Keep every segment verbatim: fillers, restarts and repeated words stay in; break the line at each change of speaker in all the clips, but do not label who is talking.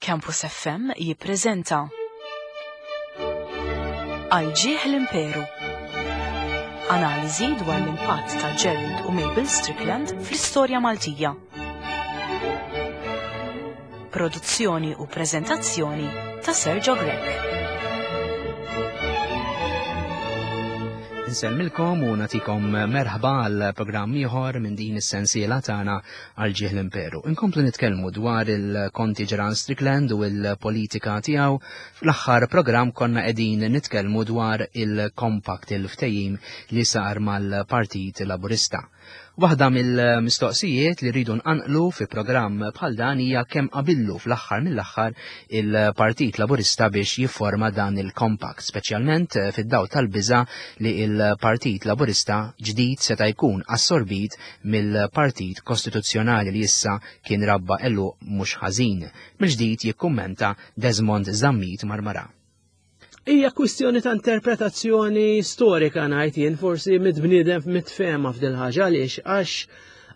Campus F M jippreżenta Għal ġieħ l-Imperu. Analiżi dwar l-impatt ta' Gerald u Mabel Strickland fl-istorja Maltija. Produzzjoni u preżentazzjoni ta' Sergio Grech.
Insellmilkom u natikom merħba għal programm ieħor minn din is-sensiela tagħna għal ġieħ l-Imperu. Inkomplu nitkellmu dwar il-Konti Gerald Strickland u l-politika tiegħu. Fl-aħħar programm konna qegħdin nitkellmu dwar il-compact, il-ftehim li sar mal-Partit Laburista. Waħda mill-mistoqsijiet li rridu nqanqlu fi programm bħal dan hija kemm qabillu fl-aħħar mill-aħħar il-Partit Laburista biex jifforma dan il-compact, speċjalment fid-dawl tal-biża' li il-Partit Laburista ġdid seta' jkun assorbit mill-Partit Kostituzzjonali li issa kien rabba għeluq mhux ħażin. Mill-ġdid jikkummenta Desmond Zammit Marmara.
Hija kwistjoni ta' interpretazzjoni storika ngħid jien, forsi mit-bniedem mitfehma f'dil ħaġa. Għaliex? Għax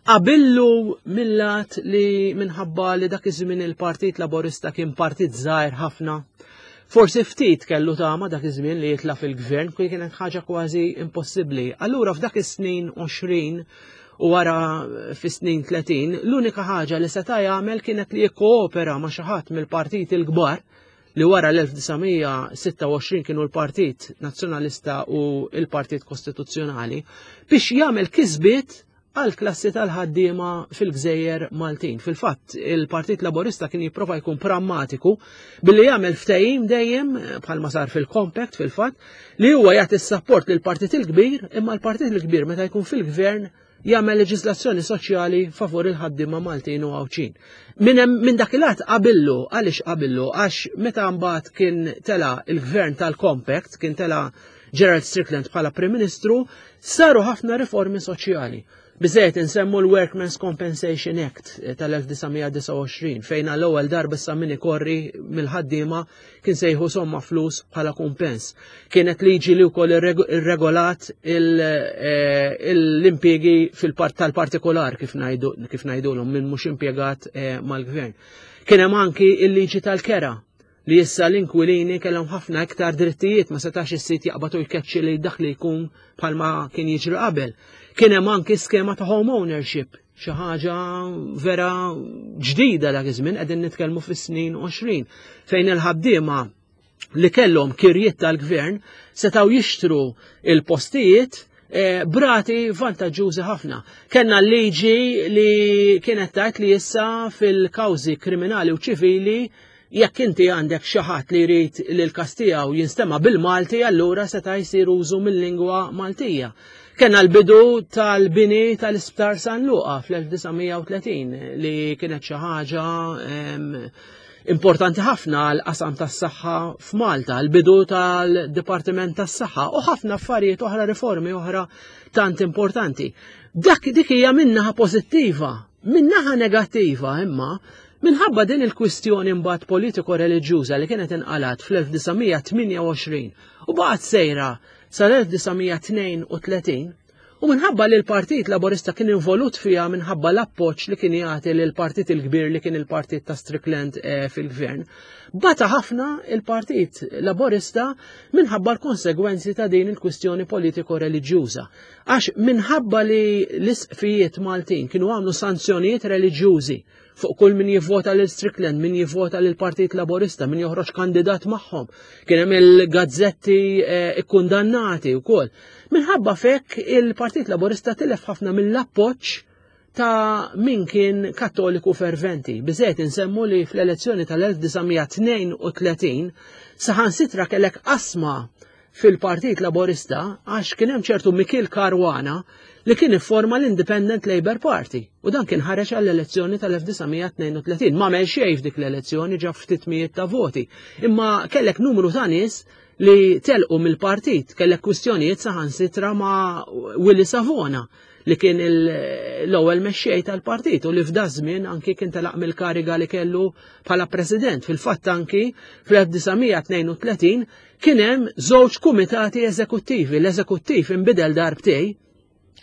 qabillu mill-lat li minħabba li dak iż-żmien il-Partit Laburista kien partit żgħir ħafna, forsi ftit kellu tama dak iż-żmien li jitla' fil-gvern, kien kienet ħaġa kważi impossibbli. Allura f'dak is-snin għoxrin u wara fis-snin tletin, l-unika ħaġa li seta' jagħmel kienet li jikkoopera ma' xi ħadd mill-partiti l-kbar li wara l-elf disa' mija sitta u għoxrin kienu l-Partit Nazzjonalista u l-Partit Kostituzzjonali, biex jagħmel kisbiet għal klassi tal-ħaddiema fil-gżejjer Maltin. Fil-fatt, il-Partit Laburista kien jipprova jkun prammatiku billi jagħmel ftehim dejjem, bħalma sar fil-Compact fil-fatt, li huwa jagħti s-sapport lill-Partit il-Kbir, imma l-Partit il-Kbir meta jkun fil-gvern jagħmel leġiżlazzjoni soċjali favur il-ħaddiema Maltin u Għawdxin. Min hemm, min dak il-att qabillu, għaliex qabillu? Għax meta mbagħad kien tela il-gvern tal-Compact, kien tela Gerald Strickland bħala Prim Ministru, saru ħafna riformi soċjali. Biżejjed insemmu l-Workmen's Compensation Act tal-elf disa' mija disa' u għoxrin, fejn għall-ewwel darba issa min ikorri mill-ħaddiema kien sejħu somma flus bħala kumpens. Kienet liġi li wkoll irreg-, irregolat il-, eh, l-impjiegi fil-part-, tal-partikolar kif ngħidu, kif ngħidulhom minn mhux impjegat, eh, mal-gvern. Kien hemm anki l-liġi tal-kera li issa l-inkwilini kellhom ħafna iktar drittijiet, ma setax is-sit jaqbad u jkeċċi li dak li jkun bħalma kien jiġri qabel. Kien hemm anki skema ta' home ownership, xi ħaġa vera ġdida dak iż-żmien, qegħdin nitkellmu fis-snin għoxrin, fejn il-ħaddiema li kellhom kirjiet tal-gvern setgħu jixtru il-postijiet, eh, brati vantaġġużi ħafna. Kellna l-liġi li kienet tgħid li issa fil-kawżi kriminali u ċivili jekk inti għandek xi ħadd li jrid li l-każ tiegħu jinstema' bil-Malti, allura seta' jsir użu mill-lingwa Maltija. Kellna l-bidu tal-bini tal-Isptar San Luqa fl-elf disa' mija u tletin li kienet xi ħaġa, em, importanti ħafna għal qasam tas-saħħa f'Malta, l-bidu tal-Dipartiment tas-Saħħa u ħafna affarijiet oħra, riformi oħra tant importanti. Dak dik hija minnaħa pożittiva, minnaħa negattiva imma minħabba din il-kwistjoni mbagħad politiko-reliġjuża li kienet inqalat fl-elf disa' mija tmienja u għoxrin u baqgħet sejra sal-elf disa' mija tnejn u tletin, u minħabba li l-Partit Laburista kien involut fiha minħabba l-appoġġ li kien jagħti lil partit il-kbir li kien il-partit ta' Strickland, eh, fil-gvern, bata ħafna il-Partit Laburista minħabba l-konsegwenzi ta' din il-kwistjoni politiko-reliġjuża. Għax minħabba li l-isqfijiet Maltin kienu għamlu sanzjonijiet reliġjużi fuq kull min jivvota lil Strickland, min jivvota lil Partit Laburista, min joħroġ kandidat magħhom. Kien hemm il-gazzetti, eh, ikkundannati wkoll. Minħabba fekk il-Partit Laburista tilef ħafna mill-appoġġ ta' min kien kattoliku ferventi. Biżejjed insemmu li fl-elezzjoni tal-elf disa' mija tnejn u tletin saħansitra kellek qasma fil-Partit Laburista għax kien hemm ċertu Mikiel Caruana li kien ifforma l-Independent Labour Party u dan kien ħareġ għall-elezzjoni tal-elf disa' mija tnejn u tletin. Ma għamel xejn f'dik l-elezzjoni, ġab ftit mijiet ta' voti. Imma kellek numru ta' nies li telqu mill-partit, kellek kwistjonijiet saħansitra ma' Willie Savona li kien il-, l-ewwel mexxej tal-partit u li f'da żmien anki kien telaq mill-kariga li kellu bħala president. Fil-fatt anki fl-elf disa' mija tnejn u tletin kien hemm żewġ kumitati eżekuttivi. L-eżekuttiv inbidel darbtej,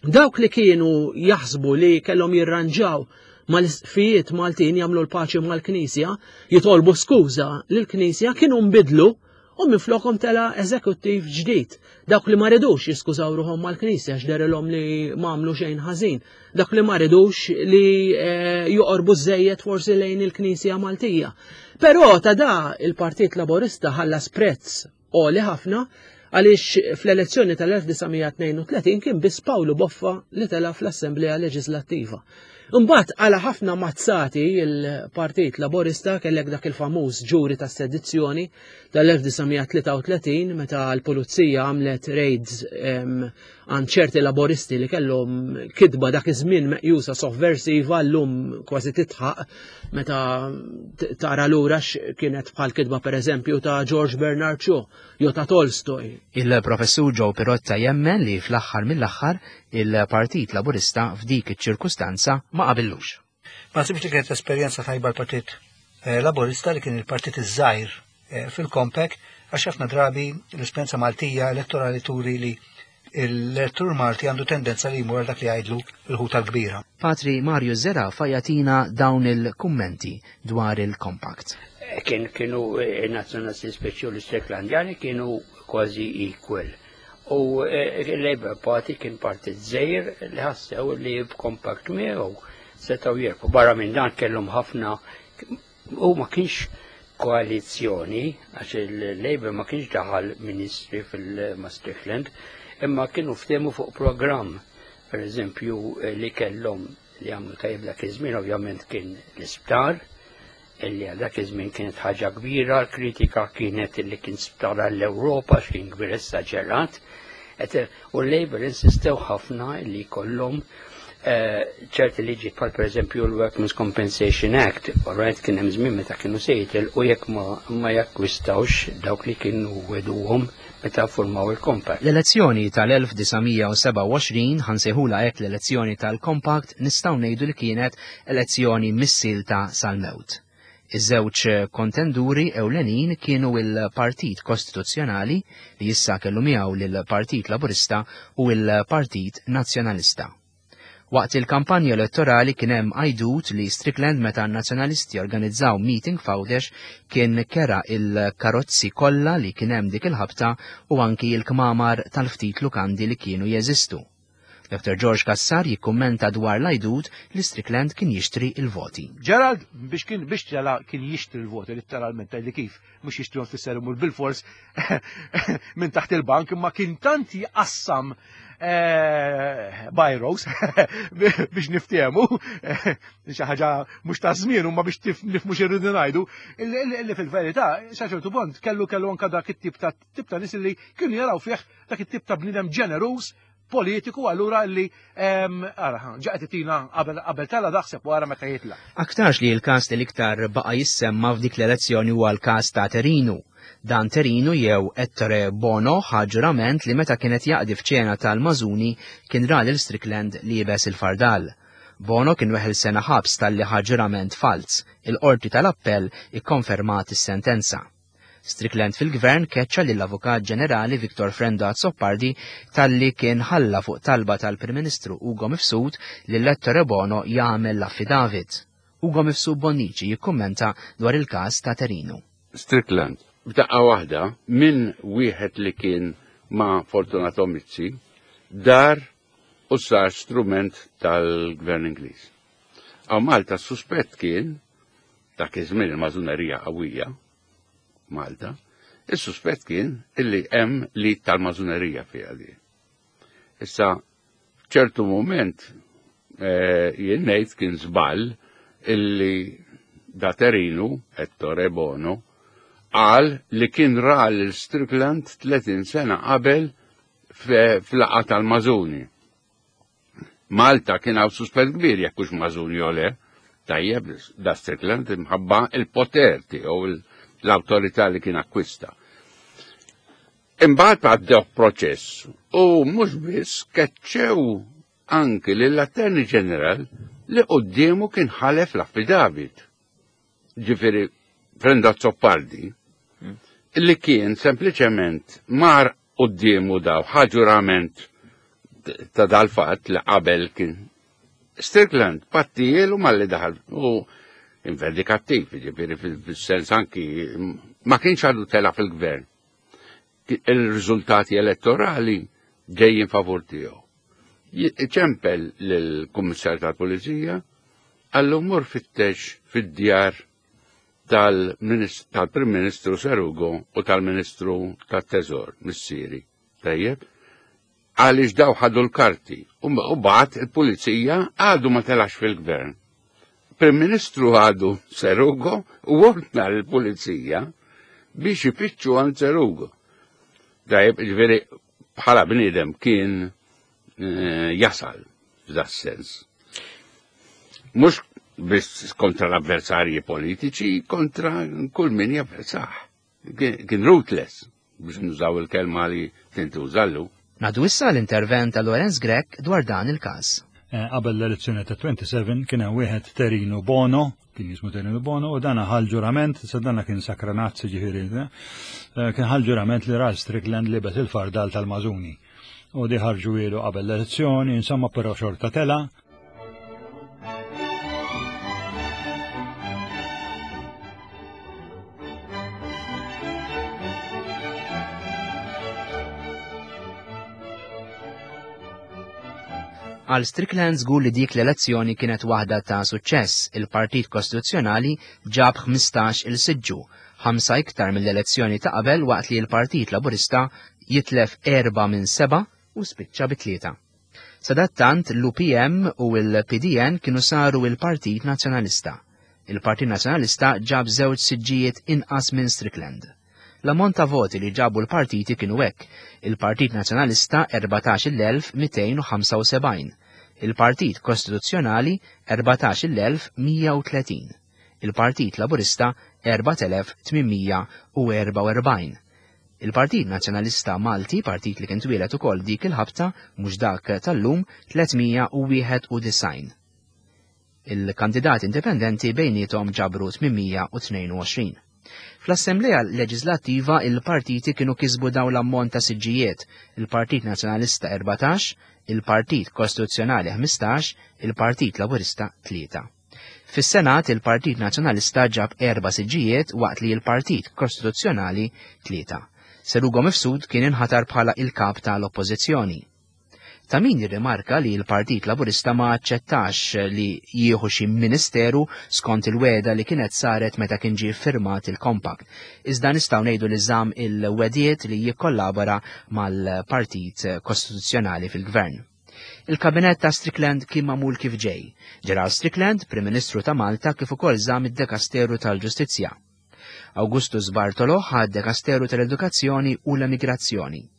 dawk li kienu jaħsbu li kellhom jirranġaw mal-isqfijiet Maltin jagħmlu l-paċi mal-Knisja, jitolbu skuża lill-Knisja, kienu nbidlu u minflokhom tela eżekuttiv ġdid. Dawk li ma ridux jiskużaw ruħhom mal-Knisja x'derilhom li ma għamlu xejn ħażin. Dawk li ma ridux li eh, joqorbu żejjed forsi lejn il-Knisja Maltija. Però ta' da il-Partit Laburista ħallas prezz għoli ħafna, għaliex fl-elezzjoni tal-elf disa' mija tnejn u tletin kien biss Pawlu Boffa li tela fl-Assemblea Leġislattiva. Imbagħad għala ħafna mazzati il-Partit Laburista, kellek dak il-famuż ġuri ta' sedizzjoni tal-elf disa' mija tlieta u tletin meta l-pulizija għamlet raids, em, għand ċerti laboristi li kellhom kitba dak iż-żmien meqjusa sovversiva, llum kważi titħaq meta t-, tara lura x'kienet bħal kitba pereżempju ta' George Bernard Shaw jew ta' Tolstoy.
Il-professur Joe Pirotta jemmen li fl-aħħar mill-aħħar il-Partit Laburista f'dik iċ-ċirkustanza ma qabillux.
Ma nsibx li kienet esperjenza tajba l-Partit, eh, Laburista li kien il-partit iż-żgħir, eh, fil-Compact, għax ħafna drabi l-esperjenza Maltija elettorali turi li l-elettur Malti għandu tendenza li jmur dak li jgħidlu l-ħuta l-kbira.
Patri Mario Zerafa jagħtina dawn il-kummenti dwar il-Compact.
Eh, kien, kienu, eh, nazzjonalisti speċi u l-Stricklandjani kienu kważi equal. U, eh, il-Labour Party kien partit żgħir li ħassew li b'kompact miegħu setgħu jirbħu. Barra minn dan kellhom ħafna, u ma kienx koalizzjoni, għax il-Labour ma kienx daħal ministri fil-Strickland, imma kienu ftehmu fuq programm, per eżempju, eh, li kellhom li għamlu tajjeb dak iż-żmien, ovvjament kien l-isptar, illi għal dak iż-żmien kienet ħaġa kbira, l-kritika kienet illi kien sptar għall-Ewropa, x'kien kbir esaġerat, et, u l-Labour insistew ħafna illi jkollhom, eh, ċerti liġi bħal per eżempju l-Workmen's Compensation Act, all right, kien hemm żmien meta kienu se jitilqu jekk ma, ma jakkwistawx dawk li kienu weduhom meta formaw il-Compact.
L-elezzjoni tal-elf disa' mija u sebgħa u għoxrin, ħansejħula hekk l-elezzjoni tal-Compact, nistgħu ngħidu li kienet elezzjoni missilta sal-mewt. Iż-żewġ kontenduri ewlenin kienu il-Partit Kostituzzjonali li issa kellu miegħu lill-Partit Laburista u il-Partit Nazzjonalista. Waqt il-kampanja elettorali kien hemm għajdut li Strickland meta n-nazzjonalisti organizzaw meeting f'Għawdex kien kera il-karozzi kollha li kien hemm dik il-ħabta u anki il-kmamar tal-ftit lukandi li kienu jeżistu. Doktor George Cassar jikkummenta dwar l-għajdut li Strickland kien jixtri il-voti.
Gerald biex kien biex tela kien jixtri l-voti letteralment, li kif mhux jixtrihom fisser imur bil-fors minn taħt il-bank, imma kien tant jqassam, eh, bajros biex niftehmu, eh, xi ħaġa mhux ta' żmien huma biex tif-, nifhmu x'irridu ngħidu, illi, illi, illi fil-verità sa ċertu punt kellu, kellu anke dak it-tip ta' tip ta' nies li kienu jaraw fih dak it-tip ta' bniedem ġeneruż politiku, allura li, em, ara, ġaqet itina qabel, qabel tala daħseb wara meta jitla.
Aktarx li l-każ li l-iktar baqa' jissemma f'dik l-elezzjoni huwa l-każ ta' Terinu. Dan Terinu jew Ettore Bono ħa ġurament li meta kienet jaqdi f'ċena tal-Mażuni kien ra lil Strickland liebes il-fardal. Bono kien weħel sena ħabs talli ħa ġurament falz. Il-qorti tal-appell ikkonfermat is-sentenza. Strickland fil-gvern keċċa lill-Avukat Ġenerali Victor Frendo Azzopardi talli kien ħalla fuq talba tal-Prim Ministru Ugo Mifsud li Ettore Bono jagħmel l-affidavit. Ugo Mifsud Bonnici jikkummenta dwar il-każ ta' Terinu.
Strickland, b'daqqa waħda minn wieħed li kien ma' Fortunato Mizzi dar u sar strument tal-Gvern Ingliż. Għaw Malta suspett kien, dak iż-żmien il-mażunerija qawwija, Malta, il-suspett kien illi hemm li tal-mażunerija fiha di. Issa, f'ċertu moment, eh, jien ngħid kien żball illi da Terinu, Ettore Bono, qal li kien ra lil Strickland tletin sena qabel fe-, fl-laqgħa tal-Mażuni. Malta kien hawn suspett kbir jekk hux Mażuni jew le, tajjeb da Strickland imħabba il-poter tiegħu, il-, l-awtorità li kien akkwista. Imbagħad għaddew proċess u mhux biss keċċew anki lill-Attorney General li quddiemu kien ħalef l-affidavit. Ġifieri Frendo Azzopardi, li kien sempliċement mar quddiemu daw ħaġurament ta' dal-fatt li qabel kien Strickland pattijielu malli daħal u inverdikattiv, ġifieri fil-sens anki ma kienx għadu tela fil-gvern. Il-riżultati elettorali ġejjin favur tiegħu. Ċempel lill-Kummissarju tal-Pulizija għallu mur fittex fid-djar tal-Prim Ministru Serugo u tal-Ministru tat-Teżor, missieri. Tajjeb, għaliex daw ħadu l-karti u bagħat il-pulizija għadu ma telax fil-gvern. Prim Ministru għadu Serugo u ordna l-pulizija biex ifittxu għand Serugo. Tajjeb, ġifieri bħala bniedem kien jasal f'da sens. Mhux biss kontra l-avversarji politiċi, kontra kull min javversah. Kien ruthless, biex nużaw il-kelma li tintużallu.
Nadu issa l-intervent ta' Lorenz Grech dwar dan il-każ.
Qabel l-elezzjoni ta' twenty-seven kien hemm wieħed Terino Bono, kien jismu Terino Bono, u dana ħal ġurament, sa dana kien sakranazzi ġifieri, kien ħal ġurament li Ralph Strickland libes il-fardal tal-Mażuni. U di ħarġu ilu qabel l-elezzjoni, insomma però xorta tela.
Għal Strickland żgur li dik l-elezzjoni kienet waħda ta' suċċess. Il-Partit Kostituzzjonali ġab ħmistax il-siġġu, ħamsa iktar mill-elezzjoni ta' qabel waqt li l-Partit Laburista jitlef erba' minn seba' u spiċċa bi tlieta. Sadattant l-U P M u l-P D N kienu saru il-Partit Nazzjonalista. Il-Partit Nazzjonalista ġab żewġ siġġijiet inqas minn Strickland. L-ammont ta' voti li ġabu l-partiti kienu hekk: il-Partit Nazzjonalista erbatax-il elf mitejn u ħamsa u sebgħin, il-Partit Kostituzzjonali erbatax-il elf mija u tletin, il-Partit Laburista erbat elef tmienmija u erba' u erbgħin. Il-Partit Nazzjonalista Malti, partit li kien twieled ukoll dik il-ħabta, mhux dak tal-lum, tlietmija u wieħed u disgħin. Il-kandidati indipendenti bejniethom ġabru tmienmija u tnejn u għoxrin. Fl-Assemblea Leġislattiva il-partiti kienu kisbu dawn l-ammont ta' siġġijiet: il-Partit Nazzjonalista erbatax, il-Partit Kostituzzjonali ħmistax, il-Partit Laburista tlieta. Fis-Senat il-Partit Nazzjonalista ġab erba' siġġijiet waqt li l-Partit Kostituzzjonali tlieta. Serugo Mifsud kien inħatar bħala il-kap tal-Oppożizzjoni. Ta' min jirrimarka li l-Partit Laburista ma aċċettax li jieħu xi ministeru skont il-weda li kienet saret meta kien ġie ffirmat il-Compact. Iżda nistgħu ngħidu li żamm il-wedijiet li jikkollabora mal-Partit Kostituzzjonali fil-Gvern. Il-Kabinett ta' Strickland kien magħmul kif ġej. Gerald Strickland, Prim Ministru ta' Malta, kif ukoll żamm id-Dekasteru tal-Ġustizzja. Augustus Bartolo ħa d-Dekasteru tal-Edukazzjoni u l-Emigrazzjoni.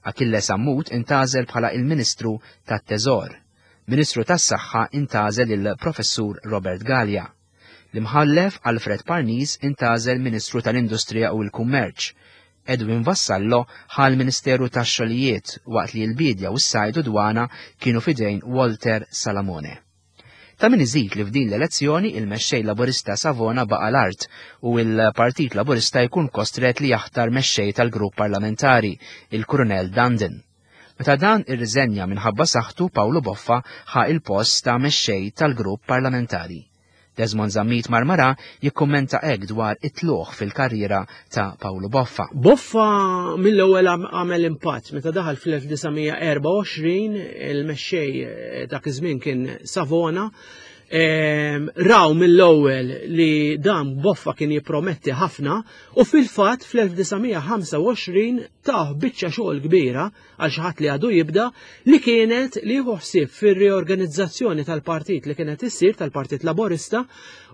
Achille Sammut intażel bħala il-Ministru tat-Teżor. Ministru tas-Saħħa intażel il-Professur Robert Galea. L-Imħallef Alfred Parnis intażel Ministru tal-Industrija u l-Kummerċ. Edwin Vassallo ħa l-Ministeru tax-Xogħlijiet waqt li l-Bidja u s-Sajd u Dwana kienu fidejn Walter Salamone. Ta' min iżid li f'din l-elezzjoni il-mexxej Laburista Savona baqa' l-art u l-Partit Laburista jkun kostret li jaħtar mexxej tal-grupp parlamentari, il-Kurunell Dundon. Meta dan irriżenja minħabba saħħtu, Pawlu Boffa ħa il-post ta' mexxej tal-grupp parlamentari. Desmond Zammit Marmara jikkummenta hekk dwar it-tluq fil-karriera ta' Pawlu Boffa.
Boffa mill-ewwel għamel impatt meta daħal fl-elf disa' mija erba' u għoxrin, il-mexxej dak iż-żmien kien Savona. Ehm, raw mill-ewwel li dan Boffa kien jipprometti ħafna u fil-fatt fl-elf disa' mija ħamsa u għoxrin tah biċċa xogħol kbira għal xi ħadd li għadu jibda, li kienet li jieħu ħsieb fir-riorganizzazzjoni tal-partit li kienet issir tal-Partit Laburista,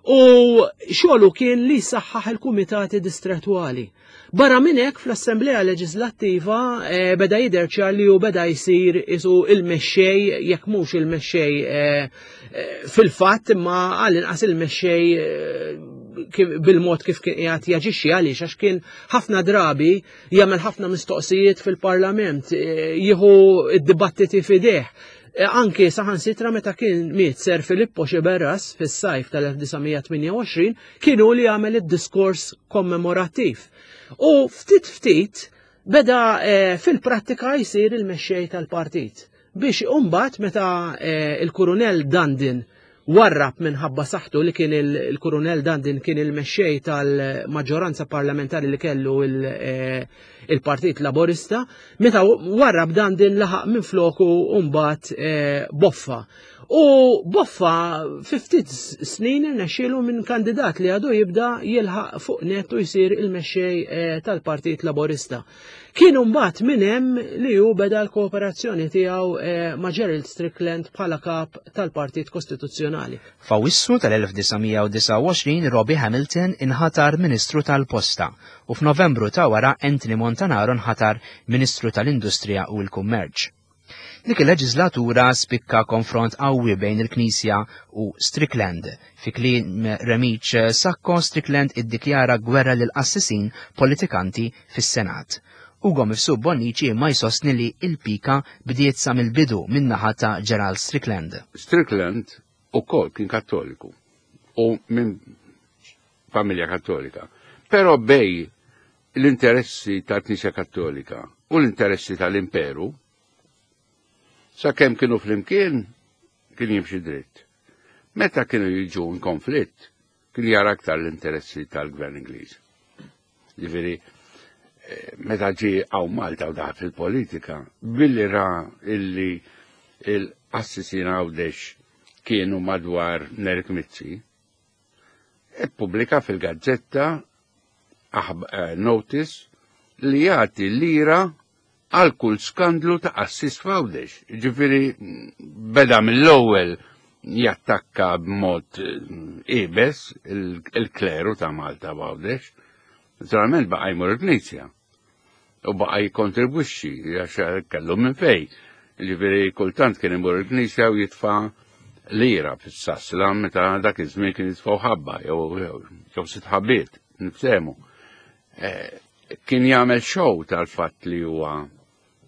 u xogħlu kien li jsaħħaħ il-kumitati distretwali. Barra minn hekk fl-Assemblea Leġislattiva, eh, beda jidher ċar li hu beda jsir isu il-mexxej, jekk mhux il-mexxej, eh, eh, fil-fatt, imma għall-inqas il-mexxej, eh, kif, bil-mod kif kien qiegħed jaġixxi. Għaliex? Għax kien ħafna drabi jagħmel ħafna mistoqsijiet fil-Parlament, eh, jieħu id-dibattiti f'idejh. E, anki saħansitra meta kien miet Sir Filippo Sciberras fis-sajf tal-elf disa' mija tmienja u għoxrin, kien hu li għamel id-diskors kommemorattiv. U ftit ftit beda, e, fil-prattika jsir il-mexxej tal-partit. Biex imbagħad meta eh, il-Kurunell Dandin warrab minħabba saħħtu, li kien il-Kurunell Dandin kien il-mexxej tal-maġġoranza parlamentari li kellu eh, il-Partit Laborista, meta warrab Dandin laħaq minn floku mbagħad eh, Boffa. U Boffa fi ftit snin irnexxielu minn kandidat li għadu jibda jilħaq fuq net u jsir il-mexxej eh, tal-Partit Laborista. Kienu mbagħad minn hemm li hu beda l-kooperazzjoni tiegħu eh, ma' Gerald Strickland bħala kap tal-Partit Kostituzzjonali.
F'Awwissu tal-elf disa' mija u disgħa u għoxrin Robbie Hamilton inħatar Ministru tal-Posta u f'Novembru ta' wara Anthony Montanaro nħatar Ministru tal-Industrija u l-Kummerċ. Dik il-leġislatura spikka konfront qawwi bejn il-Knisja u Strickland. Fi kliem Remiċ Sacco, Strickland iddikjara gwerra lil qassisin politikanti fis-Senat. Ugo Mifsud Bonnici ma jsostni li il-pika bdiet sa mill-bidu min-naħa ta' Gerald Strickland.
Strickland ukoll kien kattoliku u minn familja kattolika. Però bej l-interessi tal-Knisja Kattolika u l-interessi tal-Imperu, sakemm kienu flimkien kien jimxi dritt. Meta kienu jiġu in konflitt, kien jara aktar l-interessi tal-Gvern Ingliż. Ġifieri, eh, meta ġie hawn Malta u daħal fil-politika, billi ra illi il-qassisin Għawdex kienu madwar Nerik Mizzi, ippubblika fil-gazzetta aħb-, eh, notice li jagħti lira għal kull skandlu ta' qassis f'Għawdex. Ġifieri beda mill-ewwel jattakka b'mod, eh, ibes il-, il-kleru ta' Malta f'Għawdex. Naturalment baqa' jmur il-Knisja u baqa' jikkontribwixxi għax kellu minn fej. Ġifieri kultant kien imur il-Knisja u jitfa' lira fis-sasla meta dak iż-żmien kien jitfgħu ħabba jew, jew sitt ħabbiet, niftehmu. Eh, kien jagħmel show tal-fatt li huwa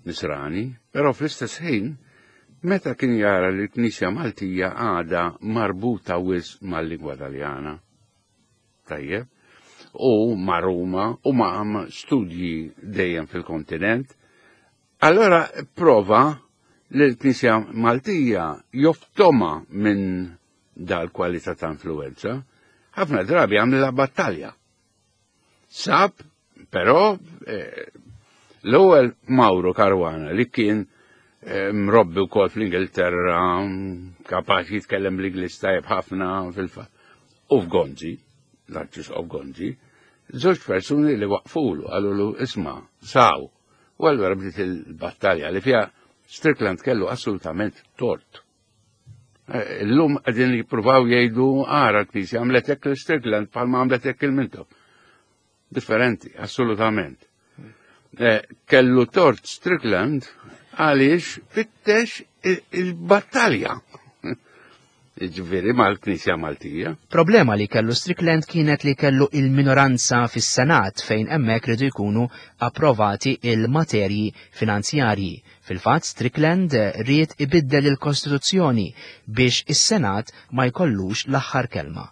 nisrani, però fl-istess ħin meta kien jara li l-Knisja Maltija għadha marbuta wisq mal-lingwa Taljana. Tajjeb, u ma' Ruma u ma' studji dejjem fil-kontinent, allora prova li l-Knisja Maltija joftoma minn dal-kwalità ta' influenza, ħafna drabi għamlilha battalja. Sab, però, eh, l-ewwel Mauro Caruana li kien, eh, mrobbi wkoll fl-Ingilterra, kapaċi jitkellem l-Ingliż tajjeb ħafna fil-fatt, u f'Gonzi, l-Arċisqof Gonzi, żewġ persuni li waqfulu, qalulu isma' saw. U allura bdiet il-battalja li fiha Strickland kellu assolutament tort. Eh, illum qegħdin jippruvaw jgħidu ara l-Knisja għamlet hekk l-Strickland bħalma għamlet hekk il-Mintoff. Differenti, assolutament. Eh, kellu tort Strickland għaliex fittex il-, il-battalja. Ġifieri mal-Knisja Maltija.
Problema li kellu Strickland kienet li kellu il-minoranza fis-Senat fejn hemmhekk ridu jkunu approvati il-materji finanzjarji. Fil-fatt Strickland ried ibiddel il-Kostituzzjoni biex is-Senat ma jkollux l-aħħar kelma.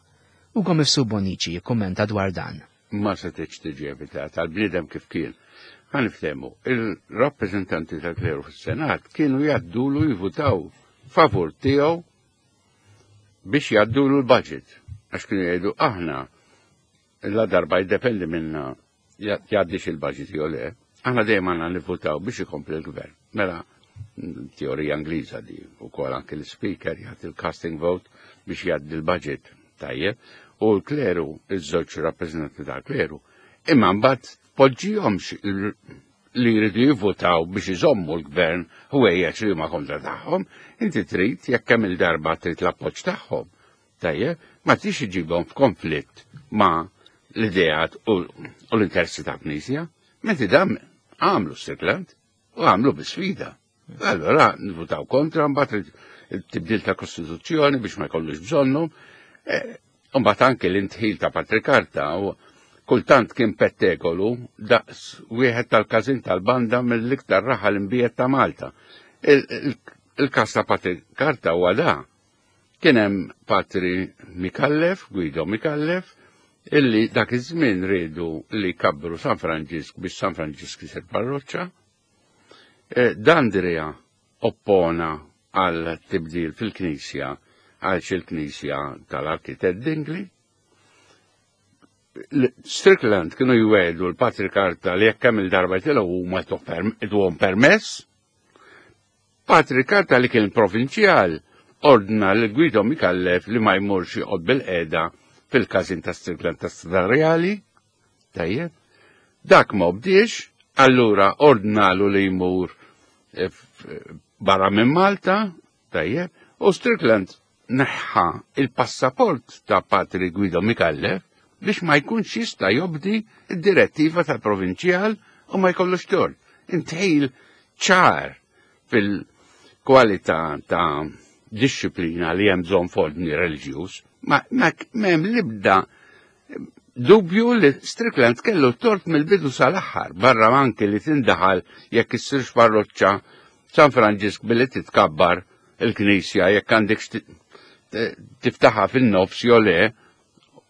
Ugo Mifsud Bonnici jikkummenta dwar dan.
Ma setgħetx tiġi evitata għall-bniedem kif kien. Ħa niftehmu, il-rappreżentanti tal-kleru fis-Senat kienu jgħaddulu jivutaw favur tiegħu biex jgħaddulu l-budget. Għax kienu jgħidu aħna la darba jiddependi minna jgħaddix il-budget jew le, aħna dejjem għandna nivvutaw biex ikompli l-gvern. Mela, teorija Ingliża di, ukoll anke l-speaker jagħti il-casting vote biex jgħaddi l-budget. Tajjeb, u l-kleru, iż-żewġ rappreżentanti tal-kleru, imma mbagħad poġġihomx li jridu jivvutaw biex iżommu l-gvern ħwejjeġ li huma kontra tagħhom, inti trid jekk kemm il-darba trid l-appoġġ tagħhom. Tajjeb, ma tix iġibhom f'konflitt ma' l-ideat u, u l-interessi ta' Knisja, menti dam għamlu Strickland u għamlu bi sfida. Allora nivvutaw kontra, mbagħad il-tibdil ta' Kostituzzjoni biex ma jkollux bżonnu, e, u mbagħad anke l-intħil ta' Patri Carta u kultant kien pettegolu daqs wieħed tal-każin tal-banda mill-iktar raħal imbiet ta' Malta. Il-, il-, il-kas ta' Patri Carta huwa da. Kien hemm Patri Micallef, Guido Micallef, illi dak iż-żmien riedu li kabbru San Franġisk biex San Franġisk isir parroċċa. E, D'Andrea oppona għal tibdil fil-Knisja għal il-Knisja tal-Arkitett Dingli. Strickland kienu jwedu l-Patri Carta li jekk kemm il-darba jitilgħu huma jtuhom permess. Patri Carta li kien provinċjal ordna l Guido Micallef li ma jmurx joqgħod bil-qeda fil-każin ta' Strickland ta' Strada Reali. Tajjeb. Dak ma obdiex, allura ordnalu li jmur eh, barra minn Malta, tajjeb, u Strickland neħħa il-passaport ta' Patri Guido Micallef biex ma jkunx jista' jobdi id-direttiva tal-provinċjal u ma jkollux tort. Intħil ċar fil-kwalità ta' disċiplina li hemm bżonn f'ordni reliġjuż, ma m'hemm l-ebda dubju li Strickland kellu tort mill-bidu sal-aħħar, barra anki li tindaħal jekk issirx parroċċa San Franġisk billi titkabbar il-knisja jekk għandek tiftaħa fin-nofs jew le,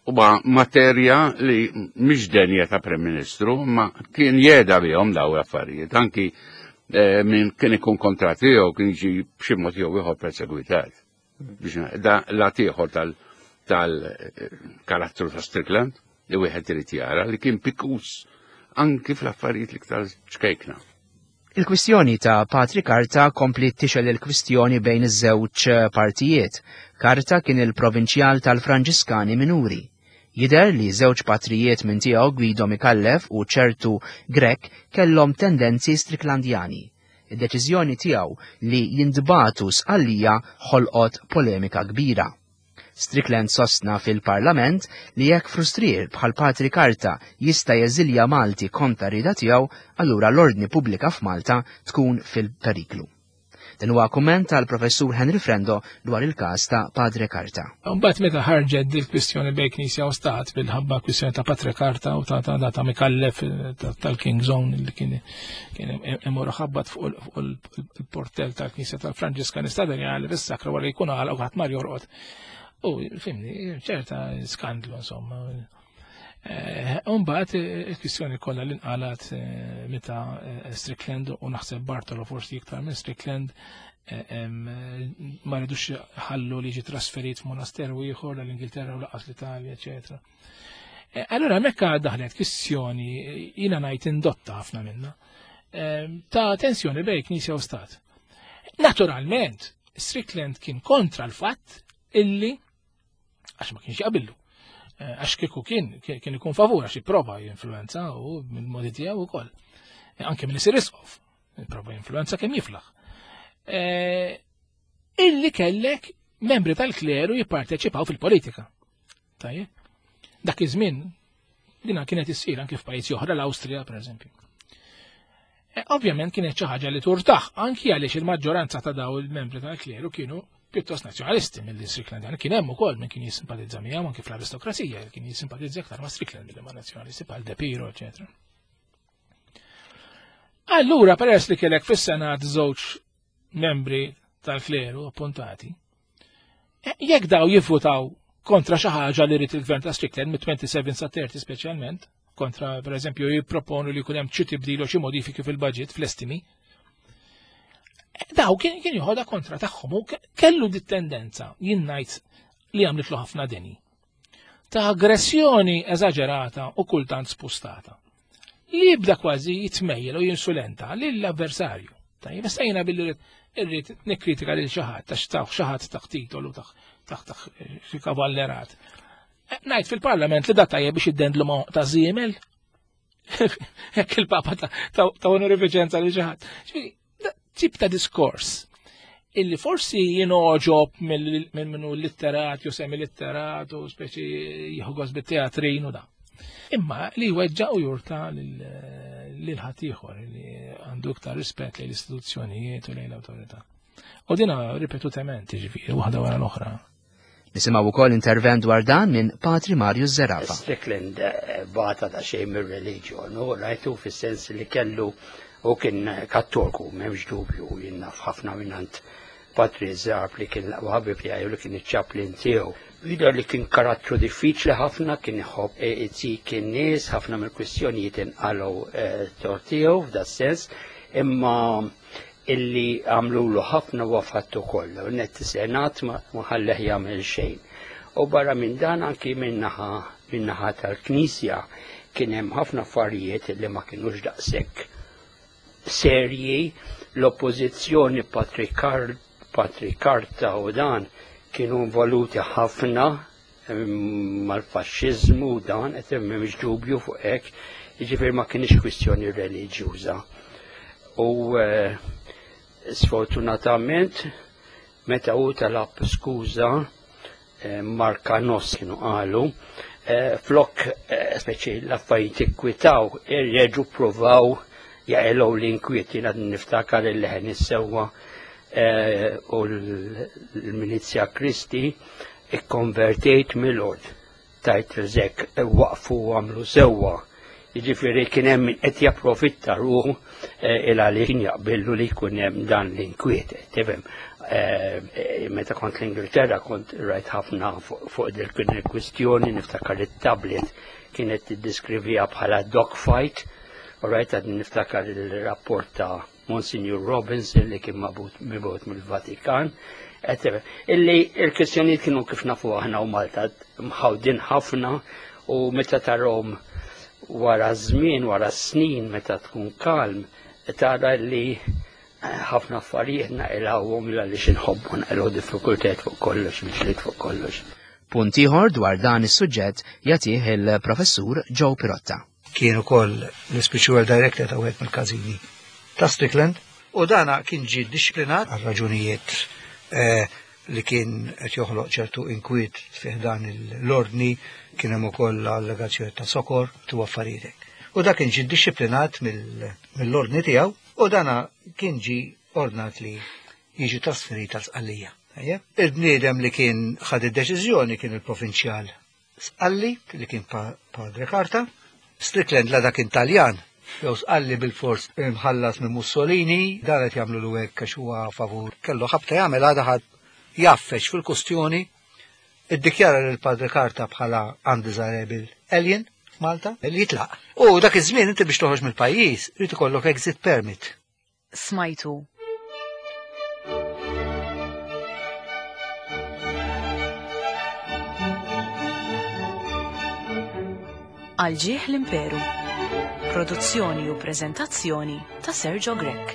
huwa materja li mhix denja ta' Prim Ministru, ma kien jeda bihom daw l-affarijiet, anki eh, min kien ikun kontra tiegħu kien jiġi b'xi mod jew ieħor persegwitat. Biex da lat ieħor tal-karattru ta' Strickland li wieħed irid jara li kien pikus anki fl-affarijiet l-iktar ċkejkna.
Il-kwistjoni ta' Patri Carta kompli tixgħel il-kwistjoni bejn iż-żewġ partijiet. Carta kien il-provinċjal tal-Franġiskani Minuri. Jider li żewġ patrijiet minn tiegħu Guido Micallef u ċertu Grech kellhom tendenzi Stricklandjani. Id-deċiżjoni tiegħu li jintbagħtu Sqallija ħolqot polemika kbira. Strickland sostna fil-Parlament li jekk frustrier bħal Patri Carta jista' jeżilja Malti kontra rida tiegħu, allura l-ordni pubblika f'Malta tkun fil-periklu. Dan huwa kumment tal-Professur Henry Frendo dwar il-każ ta' Padre Carta.
Mbagħad meta ħarġet dil kwistjoni bejn Knisja u Stat bil-ħabba kwistjoni ta' Patre Carta u ta' ta' ta' Micallef tal-King Zone li kien kien imur ħabbat fuq il-portel tal-Knisja tal-Franġiskani Strada Reali fis-sakra wara jkun għalaq u ħadd mar jorqod. U fimni, ċerta skandlu insomma. Umbagħad il-kwistjoni kollha li nqalat meta Strickland u naħseb Bartolo forsi iktar minn Strickland ma ridux ħallu li jiġi trasferit f'monasteru ieħor l-Ingilterra u lanqas l-Italja, eċetera. Allura mekka daħlet kwistjoni jiena ngħid indotta ħafna minna ta' tensjoni bejn Knisja u Stat. Naturalment, Strickland kien kontra l-fatt illi għax ma kienx jaqbillu. Għax kieku kien kien ikun favur għax jipprova jinfluenza u mill-modi tiegħu wkoll. Anke minn isir isqof, jipprova jinfluenza kemm jiflaħ. Illi kellek membri tal-kleru jipparteċipaw fil-politika. Tajjeb. Dak iż-żmien dina kienet issir anke f'pajjiżi oħra, l-Awstrija pereżempju. Ovvjament kienet xi ħaġa li turtaħ anki għaliex il-maġġoranza ta' daw il-membri tal-kleru kienu pjuttost nazzjonalisti mill-Strickland. Kien hemm ukoll min kien jissimpatizza miegħu anke fl-aristokrazija, kien jissimpatizza aktar ma' Strickland milli ma' nazzjonalisti bħal De Piro, eċetera. Allura peress li kellek fis-Senat żewġ membri tal-kleru appuntati, jekk daw jivvutaw kontra xi ħaġa li rid il-gvern ta' Strickland mit-twenty-seven sa thirty speċjalment, kontra pereżempju jipproponu li jkun hemm xi tibdil u xi modifiki fil-budget fl-estimi, daw kien kien joħodha kontra tagħhom u kellu dit tendenza jien ngħid li għamlitlu ħafna deni ta' aggressjoni eżaġerata u kultant spustata. Li jibda kważi jitmejjel u jinsulenta lill-avversarju. Tajjeb, issa jiena billi irrid nikkritika lil xi ħadd għax taħ xi ħadd taħt titolu taħt taħt xi kavallerat. Ngħid fil-Parlament li da tajjeb biex iddendlu ma' ta' żiemel. Hekk il-Papa ta' onorifiċenza lil xi ħadd. Tip ta' diskors illi forsi jinoġob minn minnu litterat jew semi-litterat u speċi jieħu gost bit-teatrin u da. Imma li weġġa u jurta lil ħaddieħor li għandu iktar rispett lejn l-istituzzjonijiet u lejn l-awtorità. U dina ripetutament, jiġifieri, waħda wara l-oħra.
Nisimgħu wkoll intervent dwar dan minn Patri Mario Zerafa.
Strickland bata ta' xejn mir-reliġjon, u rajtu fis-sens li kellu u kien kattolku, m'hemmx dubju, jien naf ħafna minnant Patri Zarb li kien l-aqwa ħabib tiegħi u li kien iċ-chaplain tiegħu. Jidher li kien karattru diffiċli ħafna, kien iħobb itik in-nies, ħafna mill-kwistjonijiet inqalgħu tort tiegħu f'da sens, imma illi għamlulu ħafna wafattu kollu, net senat ma ħalleh jagħmel xejn. U barra minn dan anki minnaħa minnaħa tal-Knisja kien hemm ħafna affarijiet li ma kinux daqshekk serji, l-oppożizzjoni patrikarta u dan kienu involuti ħafna mal-faxxiżmu u dan, qed m'hemmx dubju fuq hekk, jiġifieri ma kienx kwistjoni reliġjuża. U sfortunatament meta hu talab skuża Markanos kienu qalu, flok speċi l-affarijiet ikkwitaw, irreġu provaw jaqilgħu l-inkwiet. Jiena niftakar il-leħen is-sewwa u l-Milizja Kristi ikkonvertejt mill-ord tajt rizek waqfu għamlu sewwa. Jiġifieri kien hemm min qed japprofitta ruħu il għaliex kien jaqbillu li jkun hemm dan l-inkwiet. Tifhem, meta kont l-Ingilterra kont rajt ħafna fuq din il-kwistjoni, niftakar it-tablet kienet tiddiskrivija bħala dogfight, u rajt għad niftakar il-rapport ta' Monsignor Robinson li kien mibgħut mill-Vatikan. Illi il-kwistjonijiet kienu kif nafu aħna u Malta mħawdin ħafna, u meta tarhom wara żmien, wara snin, meta tkun kalm, tara li ħafna affarijiet naqilgħuhom għaliex inħobbu naqilgħu diffikultajiet fuq kollox, mixliet fuq kollox.
Punt ieħor dwar dan is-suġġett jagħtih il-Professur Joe Pirotta.
Kien ukoll l-spiritual director ta' wieħed mill-każini ta' Strickland, u dana kien ġie disciplinat għal raġunijiet li kien qed joħloq ċertu inkwiet fih dan l-ordni, kien hemm ukoll allegazzjoni ta' sokor tu affarijiet. U dak kien ġie disciplinat mill-ordni tiegħu, u dana kien ġie ordnat li jiġi trasferit għal Sqallija. Il-bniedem li kien ħad id-deċiżjoni kien il-provinċjal Sqalli, li kien Padre Carta. Strickland la dak Taljan, jew Sqalli bil-fors imħallas minn Mussolini, dan qed jagħmlu lu hekk għax huwa favur. Kellu ħabta jagħmel għadha ħadd jaffeċ fil-kustjoni, iddikjara lil Padre Carta bħala undesirable alien f'Malta, li jitlaq. U dak iż-żmien inti biex toħroġ mill-pajjiż irid ikollok exit permit.
Smajtu. Għal ġieħ l-Imperu. Produzzjoni u preżentazzjoni ta' Sergio Grech.